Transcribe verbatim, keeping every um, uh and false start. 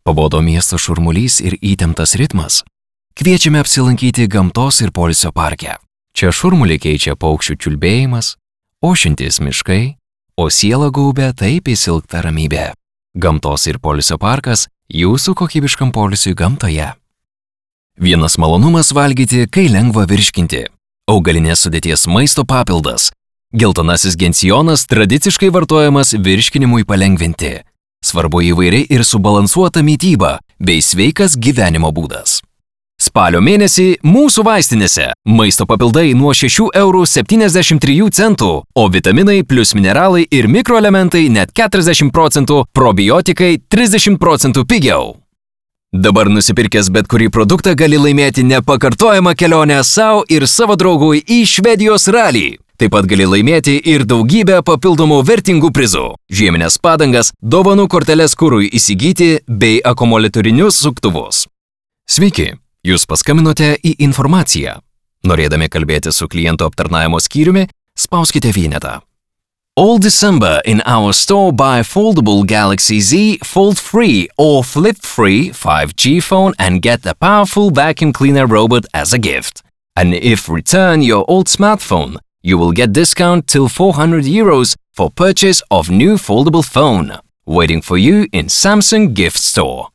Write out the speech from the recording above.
Pabodo miesto šurmulys ir įtemptas ritmas? Kviečiame apsilankyti gamtos ir poilsio parke. Čia šurmulį keičia paukščių čiulbėjimas, ošiantys miškai, o sielą gaubia taip įsilgta ramybė. Gamtos ir poilsio parkas jūsų kokybiškam poilsiui gamtoje. Vienas malonumas valgyti, kai lengva virškinti. Augalinės sudėties maisto papildas. Geltonasis gencijonas tradiciškai vartojamas virškinimui palengvinti. Svarbu įvairiai ir subalansuota mytyba bei sveikas gyvenimo būdas. Spalio mėnesį mūsų vaistinėse maisto papildai nuo šešių eurų septyniasdešimt trijų centų, o vitaminai plus mineralai ir mikroelementai net keturiasdešimt procentų, probiotikai trisdešimt procentų pigiau. Dabar nusipirkęs bet kurį produktą gali laimėti nepakartojamą kelionę savo ir savo draugui į Švedijos ralį. Taip pat gali laimėti ir daugybę papildomų vertingų prizų. Žieminės padangas, dovanų korteles kurui įsigyti bei akumuliatorinius suktuvus. Sveiki, jūs paskambinote į informaciją. Norėdami kalbėti su klientų aptarnavimo skyriumi, spauskite vienetą. All December in our store buy foldable Galaxy Z fold-free or flip-free five G phone and get a powerful vacuum cleaner robot as a gift. And if return your old smartphone, you will get discount till four hundred euros for purchase of new foldable phone. Waiting for you in Samsung Gift Store.